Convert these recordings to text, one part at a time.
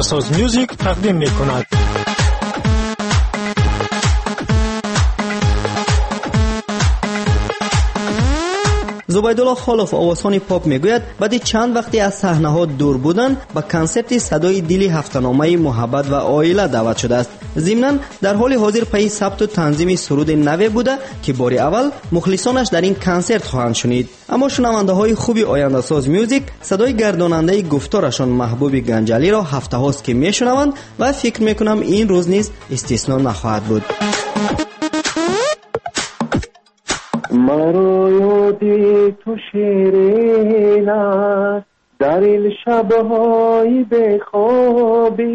Ояндасоз Мюзик тақдим мекунад. Зубайдулло Холов, овозхони поп, мегӯяд, баъди чанд вақте аз саҳнаҳо дур будан ба консерти «Садои дили» ҳафтаномаи «Муҳаббат ва оила» даъват шудааст. Зимнан, дар ҳоли ҳозир пайи сабту танзими суруди наве буда, ки бори аввал мухлисонаш дар ин консерт хоҳанд шунид. Аммо шунавандаҳои хуби «Ояндасоз Мюзик» садои гардонандаи гуфторашон Маҳбуби Ганҷалиро ҳафтаҳост, ки мешунаванд, ва фикр мекунам, ин рӯз низ истисно нахоҳад буд. Маро ёди ту ширин аст дар ин шабҳои бехобӣ,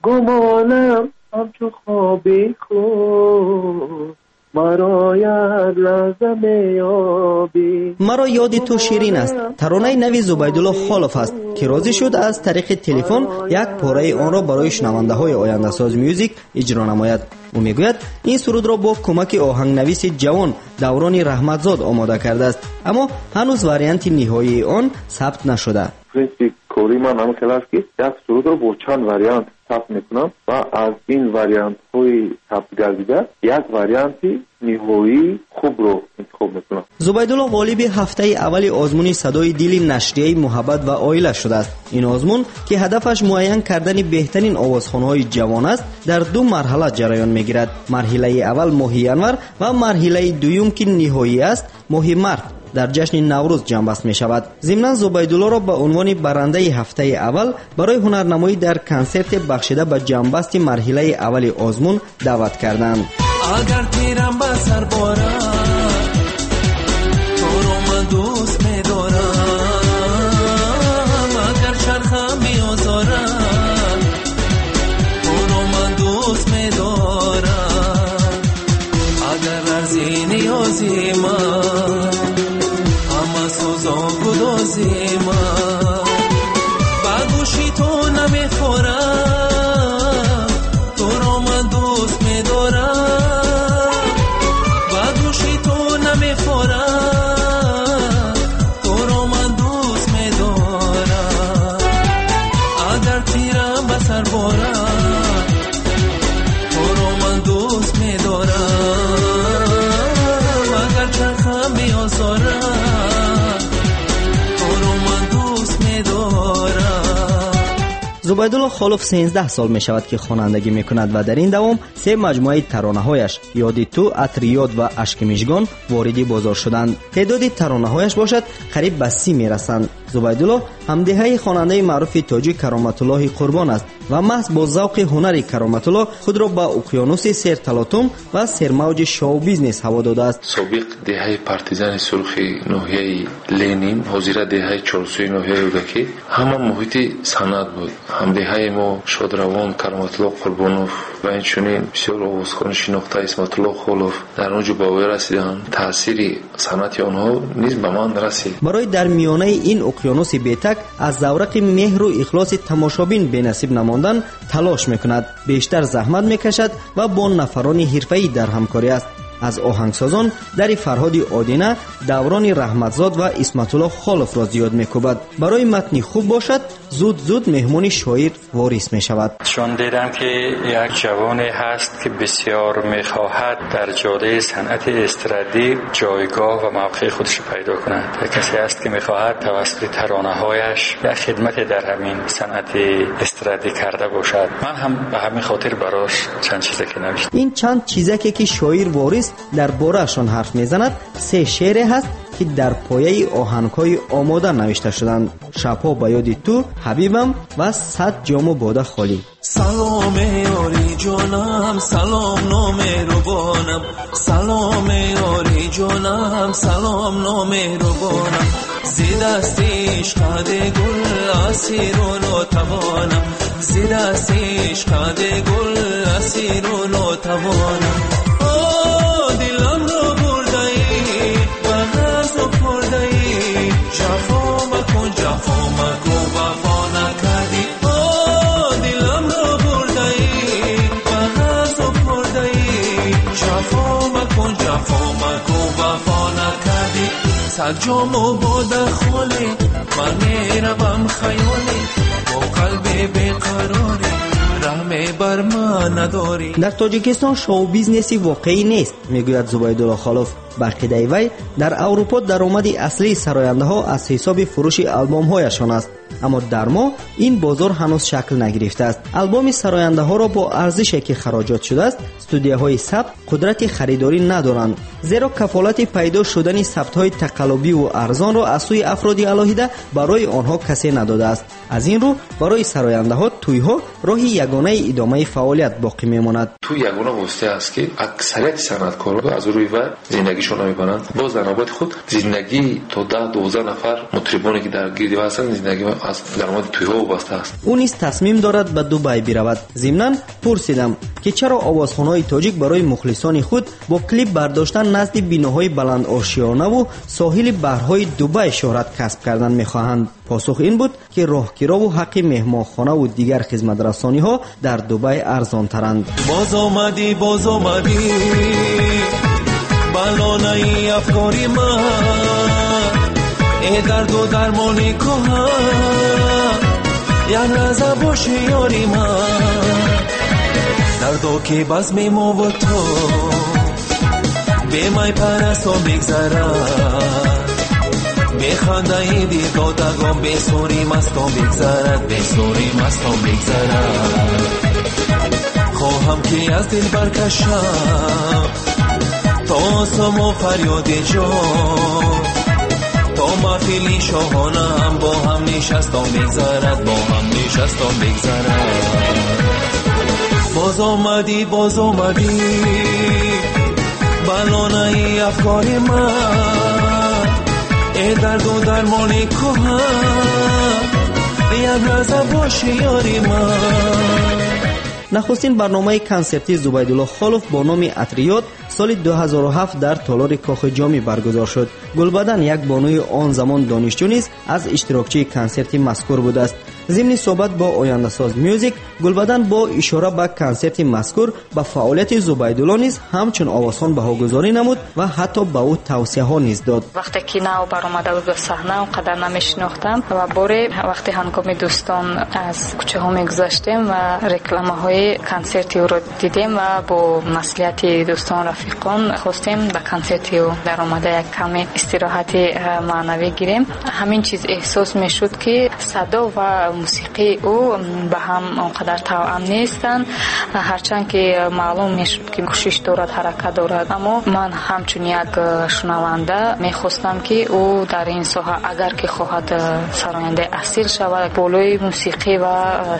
гумонам ҳамчу хоби худ маро як лаҳза меёбӣ. «Маро ёди ту ширин аст» таронаи нави Зубайдулло Холов аст, ки розӣ шуд аз тариқи телефон як пораи онро барои шунавандаҳои «Ояндасоз Мюзик» иҷро намояд. Ӯ мегӯяд, ин сурудро бо кӯмаки оҳангнависи ҷавон Даврони Раҳматзод омода кардааст, аммо ҳанӯз варианти ниҳоии он сабт нашуда. Принсипи кори ман ҳамин хел аст, ки як сурудро бо чанд вариант сабт мекунам ва аз ин вариантҳои сабтгардида як варианти ниҳоии хубро интихоб мекунам. Зубайдулло ғолиби ҳафтаи аввали озмуни «Садои дили» нашрияи «Муҳаббат ва оила» шудааст. Ин озмун, ки ҳадафаш муайян кардани беҳтарин овозхонҳои ҷавон аст, дар ду марҳала ҷараён мегирад: марҳилаи аввал моҳи январ ва марҳилаи дуюм, ки ниҳоӣ аст, моҳи март дар ҷашни Наврӯз ҷамъбаст мешавад. Зимнан, Зубайдуллоро ба унвони барандаи ҳафтаи аввал барои ҳунарнамоӣ дар консерте, бахшида ба ҷамъбасти марҳилаи аввали озмун, даъват карданд. Агар тирам ба сар борад, туро ман дӯст медорам, агар чархам биозорад, туро ман дӯст медорам, агар арзи ниёзи ман ҳама сӯзон гудози ман ба гӯши ту намехорам, туро ман дӯст медорам, ба гӯши ту намехорам, туро ман дӯст медорам, агар тирам ба сар борад, туро ман дӯст медорам, агар чархам биозорад, туро ман дӯст медорам. Зубайдулло Холов 13 сол мешавад, ки хонандагӣ мекунад, ва дар ин давом се маҷмӯаи таронаҳояш «Ёди ту», «Атри ёд» ва «Ашки мижгон» вориди бозор шуданд. Теъдоди таронаҳояш бошад, қариб ба 30 мерасанд. Зубайдулло ҳамдеҳаи хонандаи маъруфи тоҷик Кароматуллоҳи Қурбон аст ва маҳз бо завқи ҳунари Кароматулло худро ба уқёнуси серталотум ва сермавҷи шоу-бизнес ҳаво додааст. Собиқ деҳаи Партизани Сурхи ноҳияи Ленин, ҳозира деҳаи Чорсӯи ноҳияи Рӯдакӣ, ҳама муҳити санъат буд. Ҳамдеҳаи мо шодравон Кароматулло Қурбонов ва инчунин бисёр овозхони шинохта Исматулло Холов дар он ҷо ба воя расиданд. Таъсири санъати онҳо низ ба ман расид. Барои дар миёнаи ин уқёнуси бетак аз заврақи меҳру ихлоси тамошобин бенасиб намондан талош мекунад, бештар заҳмат мекашад ва бо нафарони ҳирфаӣ дар ҳамкорӣ аст. Аз оҳангсозон дари Фарҳоди Одина, Даврони Раҳматзод ва Исматулло Холовро зиёд мекӯбад. Барои матни хуб бошад, зуд зуд меҳмони шоир Ворис мешавад. Чун дидам, ки як ҷавоне ҳаст, ки бисёр мехоҳад дар ҷодаи санъати эстрадӣ ҷойгоҳ ва мавқеи худаш пайдо кунад, касе ҳаст, ки мехоҳад тавассути таронаҳояш як хидмате дар ҳамин санъати эстрадӣ карда бошад, ман ҳам ба ҳамин хотир барош чанд чизаке навиштам. Ин чанд чизаке, ки шоир Ворис дар бораашон ҳарф мезанад, се шеъре ҳаст, ки дар пояи оҳангҳои омода навишта шуданд: «Шабҳо ба ёди ту», «Ҳабибам» ва «Сад ҷому бода холӣ». Салом, ёри ҷонам, салом, номеҳрубонам, салом, ёри ҷонам, салом, номеҳрубонам, зи дасти ишқади гул асиру нотавонам, зи дасти ишқади гул асиру нотавонам. О, диламро бурдаӣ, ба ғазу хӯрдаӣ, ҷафо макун, ҷафо макун, вафо накардӣ. О, диламро бурдаӣ, ба ғазу хӯрдаӣ, ҷафо макун, ҷафо макун, вафо накардӣ. Сад ҷому бода холӣ, ман меравам хаёлӣ. Қалби беқарорӣ, раҳме бар ман надорӣ. Дар Тоҷикистон шоу-бизнеси воқеӣ нест, мегӯяд Зубайдулло Холов. Ба ақидаи вай, дар Аврупо даромади аслии сарояндаҳо аз ҳисоби фурӯши албомҳояшон аст. Аммо дар мо ин бозор ҳанӯз шакл нагирифтааст. Албоми сарояндаҳоро бо арзише ки хароҷот шудааст, студияҳои сабт қудрати харидорӣ надоранд, зеро кафолати пайдо шудани сабтҳои тақаллубиву арзонро аз сӯи афроди алоҳида барои онҳо касе надодааст. Аз ин рӯ барои сарояндаҳо тӯйҳо роҳи ягонаи идомаи фаъолият боқӣ мемонад. Тӯй ягона восита аст, ки аксарияти санъаткорон аз рӯи вай зиндагишон намебаранд. Боз дар навбати худ зиндагии то 10-12 нафар мутрибоне ки дар гирди вай ҳастанд, зиндагӣ аз даромади тӯйҳо вобаста аст. Ӯ низ тасмим дорад ба Дубай биравад. Зимнан пурсидам, ки чаро овозхонҳои тоҷик барои мухлисони худ бо клип бардоштан назди биноҳои баландошёнаву соҳили баҳрҳои Дубай шӯҳрат касб кардан мехоҳанд. Посух ин буд, ки роҳкирову ҳаққи меҳмонхонаву дигар хизматрасониҳо дар Дубай арзонтаранд. Боз омадӣ, боз омадӣ, ба лонаи афкори ман, э дарду дармони кӯҳан, як лаҳза боши ёри ман. Дардо ки базми мову ту бемай парасту мегзарад, бехандаи дилдодагон бесури мастон бигзарад, бесури мастон бигзарад. Хоҳам ки аз дил баркашам то осому фарёди ҷон, то маҳфили шоҳонаам бо ҳам нишастон бигзарад, бо ҳам нишастон бигзарад. Боз омадӣ, боз омадӣ, ба лонаи афкори ман, э дарду дармони кӯҳан, як лаҳза боши ёри ман. Нахустин барномаи консертии Зубайдулло Холов бо номи Атриёт соли 2007 дар толори Кохи Ҷомӣ баргузор шуд. Гулбадан, як бонуи он замон донишҷӯ, низ аз иштирокчии консерти мазкур будааст. Зимни суҳбат бо Ояндасоз Мюзик, Гулбадан бо ишора ба консерти мазкур ба фаъолияти Зубайдулло низ ҳамчун овозхон баҳогузорӣ намуд ва ҳатто ба ӯ тавсияҳо низ дод. Вақте ки нав баромада буд ба саҳна, он қадар намешинохтам ва боре вақте ҳангоми дӯстон аз кӯчаҳо мегузаштем ва рекламаҳои консерти ӯро дидем ва бо маслиҳати дӯстон, рафиқон хостем ба консерти ӯ даромада як каме истироҳати маънавӣ гирем. Ҳамин чиз эҳсос мешуд, ки садо ва мусиқии ӯ ба ҳам он қадар тавъам нестанд, ҳарчанд ки маълум мешуд, ки кӯшиш дорад, ҳаракат дорад. Аммо ман ҳамчун як шунаванда мехостам, ки ӯ дар ин соҳа, агар ки хоҳад сарояндаи асил шавад, болои мусиқӣ ва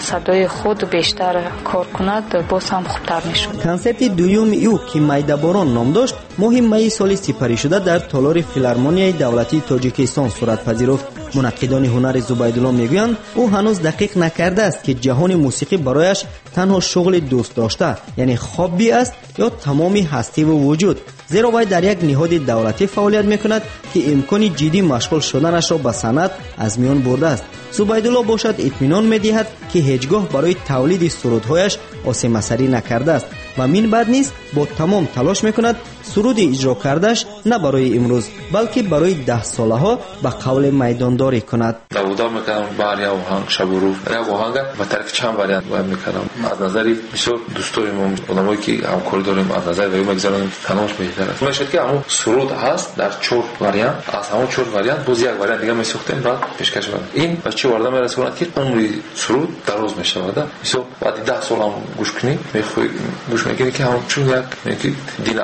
садои худ бештар кор кунад, боз ҳам хубтар мешуд. Консерти дуюми ӯ, ки Майдаборон ном дошт, моҳи майи соли сипаришуда дар толори Филармонияи давлатии Тоҷикистон сурат пазируфт. Мунаққидони ҳунари Зубайдулло мегӯянд, ӯ ҳанӯз дақиқ накардааст, ки ҷаҳони мусиқӣ барояш танҳо шуғли дӯстдошта, яъне хобби аст, ё тамоми ҳастиву вуҷуд, зеро вай дар як ниҳоди давлатӣ фаъолият мекунад, ки имкони ҷиддӣ машғул шуданашро ба санъат аз миён бурдааст. Зубайдулло бошад, итминон медиҳад, ки ҳеҷ гоҳ барои тавлиди сурудҳояш осемасарӣ накардааст ва мин баъд низ бо тамом талош мекунад суруди иҷро кардааш на барои имрӯз, балки барои даҳсолаҳо ба қавле майдондорӣ кунад. Давуда мекардам бар як оҳанг, шабу рӯз як оҳанга ба тариқи чанд вариант бояд мекардам. Аз назари бисёр дӯстои мо, одамое ки ҳамкорӣ дорем, аз назари ваё мегузаронем, кадомаш беҳтар аст. Мешавад, ки ҳамон суруд ҳаст дар чор вариант, аз ҳамон чор вариант боз як вариант дига месохтем, баъд пешкаш мекардем. Ин ба чӣ оварда мерасонад, ки умри суруд дароз мешавад. Мисол, баъди 10 сол ҳам гӯш кунӣ, мехоҳӣ гӯш мекунӣ, ки ҳамчун як ки дил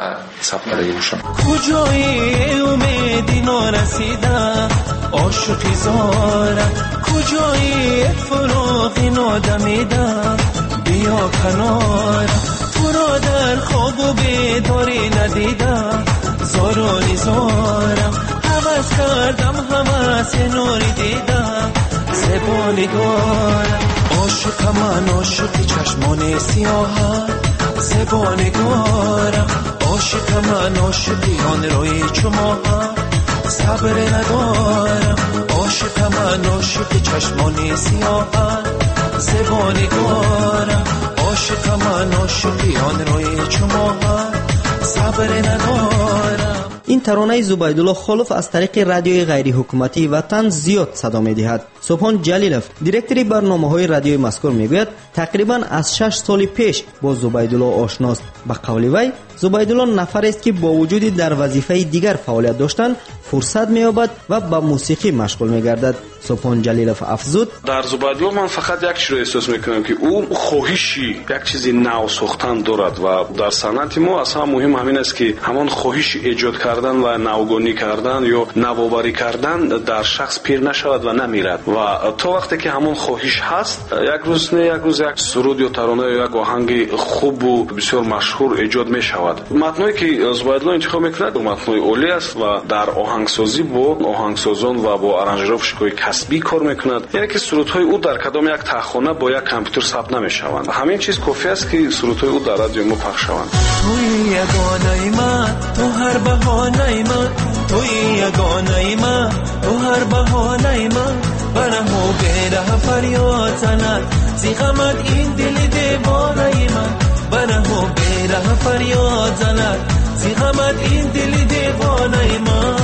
сабт кардаги бошам. Куҷои умеди норасида, ошиқи зора, куҷои фуроғи нодамида, биё канора, туро дар хобу бедорӣ надида, зору низорам, ҳавас кардам ҳаваси нури дида, зебо нигорам. Ошиқам ман, ошиқи чашмони сиёҳам, зебо нигорам. Ошиқам ман, ошиқи он рӯи чумоҳам, сабр надорам. Ошиқам ман, ошиқи чашмони сиёҳам, зебо нигорам. Ошиқам ман, ошиқи он рӯи чумоҳам, сабр надорам. Ин таронаи Зубайдулло Холов аз тариқи радиои ғайриҳукуматии Ватан зиёд садо медиҳад. Субҳон Ҷалилов, директори барномаҳои радиои мазкур, мегӯяд, тақрибан аз 6 соли пеш бо Зубайдулло ошност. Ба қавли вай, Зубайдулло нафарест, ки бо вуҷуди дар вазифаи дигар фаъолият доштан фурсат меёбад ва ба мусиқӣ машғул мегардад. Субҳон Ҷалилов афзуд: дар Зубайдулло ман фақат як чизро эҳсос мекунам, ки ӯ хоҳиши як чизи нав сохтан дорад ва дар санъати мо аз ҳама муҳим ҳамин аст, ки ҳамон хоҳиши эҷод кардан ва навгонӣ кардан ё навоварӣ кардан дар шахс пир нашавад ва намирад. Ва то вақте ки ҳамон хоҳиш ҳаст, як рӯз не як рӯз як суруд ё тарона ё як оҳанги хубу бисёр машҳур эҷод мешавад. Матное ки Зубайдулло интихоб мекунад, матнои олӣ аст ва дар оҳангсозӣ бо оҳангсозон ва бо аранжировщикҳои касбӣ кор мекунад. Яъне ки сурудҳои ӯ дар кадом як таҳхона бо як компютер сабт намешаванд. Ҳамин чиз кофӣ аст, ки сурудҳои ӯ дар радиои мо пахш шаванд. Туи ягонаи ман, ту ҳар баҳонаи ман, туи ягонаи ман, ту ҳар баҳонаи ман, бараҳу бераҳ фарёд занад зи ғамат ин дили девонаи ман, бараҳу бераҳ фарёд занад зи ғамат ин дили девонаи ман.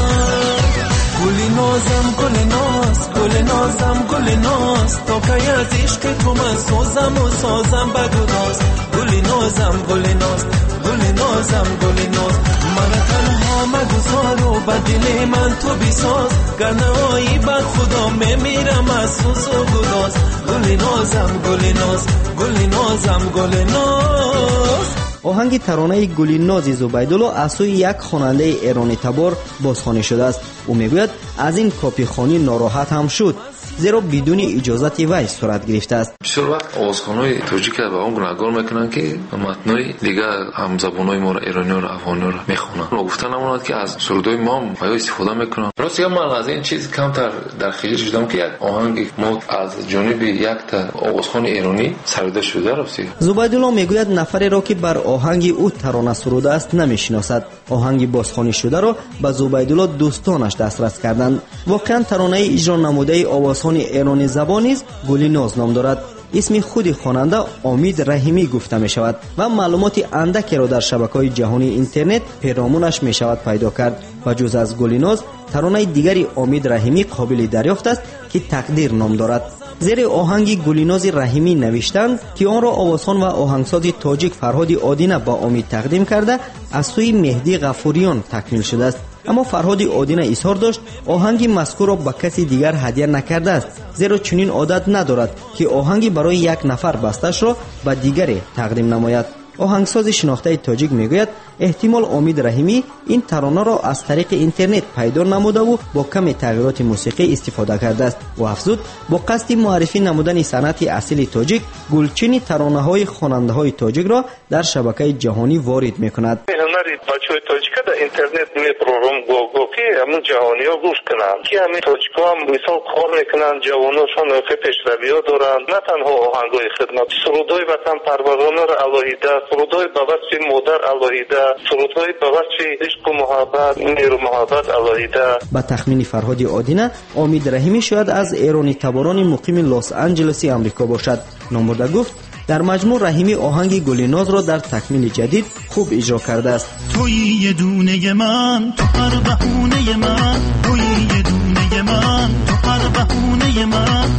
Гули нозам, гули ноз, гули нозам, гули ноз, то кай аз ишқи ту ман созаму созам ба гудоз. Гули нозам, гули ноз, гули нозам, гули ноз, мана танҳо магузору ба дили ман ту бисоз, гар наоӣ ба Худо мемирам аз сӯзу гудоз. Гули нозам, гули ноз, гули нозам, гули ноз. Оҳанги таронаи Гулинози Зубайдулло аз сӯи як хонандаи эронитабор бозхонӣ шудааст. Ӯ мегӯяд, аз ин копихонӣ нороҳат ҳам шуд, зеро бидуни иҷозати вай сурат гирифтааст. Бисёр вақт овозхонҳои тоҷика ба он гунаҳгор мекунанд, ки матнои дигар ҳамзабонҳои моро, эрониёро, афғониёро мехонанд. Гуфта намонад, ки аз сурудҳои мо ҳам ё истифода мекунанд. Рости ман аз ин чиз камтар дар хиҷил шудам, ки як оҳанги мо аз ҷониби якта овозхони эронӣ сароида шуда. Рости Зубайдулло мегӯяд, нафареро, ки бар оҳанги ӯ тарона сурудааст, намешиносад. Оҳанги бозхонӣ шударо ба Зубайдулло дӯстонаш дастрас карданд. Воқеан таронаи иҷро намудаи овозхони эронӣ забон низ Гулиноз ном дорад. Исми худи хонанда Омид Раҳимӣ гуфта мешавад ва маълумоти андакеро дар шабакаҳои ҷаҳонии интернет перомунаш мешавад пайдо кард. Ба ҷуз аз Гулиноз, таронаи дигари Омид Раҳимӣ қобили дарёфт аст, ки Тақдир ном дорад. Зери оҳанги Гулинози Раҳимӣ навиштанд, ки онро овозхон ва оҳангсози тоҷик Фарҳоди Одина ба Омид тақдим карда, аз сӯи Меҳдӣ Ғафуриён такмил шудааст. Аммо Фарҳоди Одина изҳор дошт, оҳанги мазкурро ба каси дигар ҳадя накардааст, зеро чунин одат надорад, ки оҳанги барои як нафар басташро ба дигаре тақдим намояд. Оҳангсози шинохтаи тоҷик мегӯяд, эҳтимол Омид Раҳимӣ ин таронаро аз тариқи интернет пайдо намудаву бо каме тағйироти мусиқӣ истифода кардааст. Ӯ афзуд, бо қасди муаррифӣ намудани санъати асили тоҷик, гулчини таронаҳои хонандаҳои тоҷикро дар шабакаи ҷаҳонӣ ворид мекунад. Ҳунари бачаҳои тоҷика дар интернет мепурорум го-го, ки ҳамун ҷаҳониҳо гӯш кунанд, ки ҳамин тоҷикҳо ҳам мисол кор мекунанд, ҷавоношон охир пешравиҳо доранд. На танҳо оҳангҳои хидмат, сурудҳои ватанпарваронаро алоҳида, сурудҳои ба васфи модар алоҳида, сурудҳои ба васфи ишқу муҳаббат, меҳру муҳаббат алоҳида. Ба тахмини Фарҳоди Одина, Омид Раҳимӣ шояд аз эронитаборони муқими Лос-Анҷелеси Амрико бошад. Номбурда гуфт, дар маҷмӯъ Раҳимӣ оҳанги Гулинозро дар такмили ҷадид хуб иҷро кардааст. Туи ядунаи ман, ту ҳар баҳонаи ман, туи ядунаи ман, ту ҳар баҳонаи ман,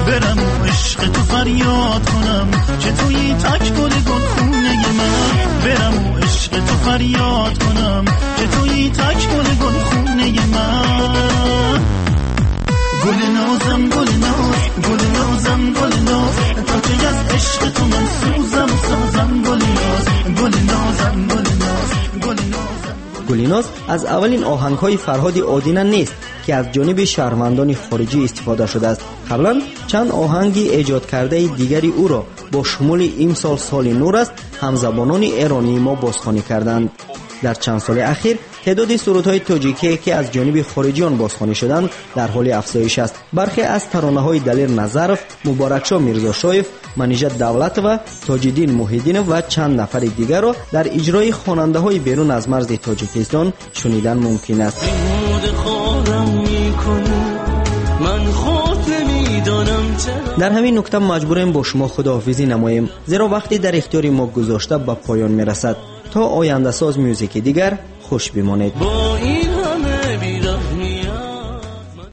барам ишқи ту фарёд кунам, ки туи так гули гулхонаи ман, барам ишқи ту фарёд кунам, ки туи так гули гулхонаи ман. Гулинозам, гулиноз, гулинозам, гулиноз, то ки аз ишқи ту ман сӯзам, созам, гулиноз, гулинозам, гулиноз, гулинозам. Гулиноз аз аввалин оҳангҳои Фарҳоди Одина нест, ки аз ҷониби шаҳрвандони хориҷӣ истифода шудааст. Қаблан чанд оҳанги эҷодкардаи дигари ӯро бо шумули имсол соли нур аст ҳамзабонони эронии мо бозхонӣ карданд. Дар чанд соли ахир теъдоди сурудҳои тоҷикие, ки аз ҷониби хориҷиён бозхонӣ шуданд, дар ҳоли афзоиш аст. Бархе аз таронаҳои Далер Назаров, Муборакшо Мирзошоев, Манижа Давлатова, Тоҷиддин Муҳиддинов ва чанд нафари дигарро дар иҷрои хонандаҳои берун аз марзи Тоҷикистон шунидан мумкин аст. Дар ҳамин нукта маҷбурем бо шумо худоҳофизӣ намоем, зеро вақти дар ихтиёри мо гузошта ба поён мерасад. То ояндасоз мюзики дигар хуш бимонед. Бо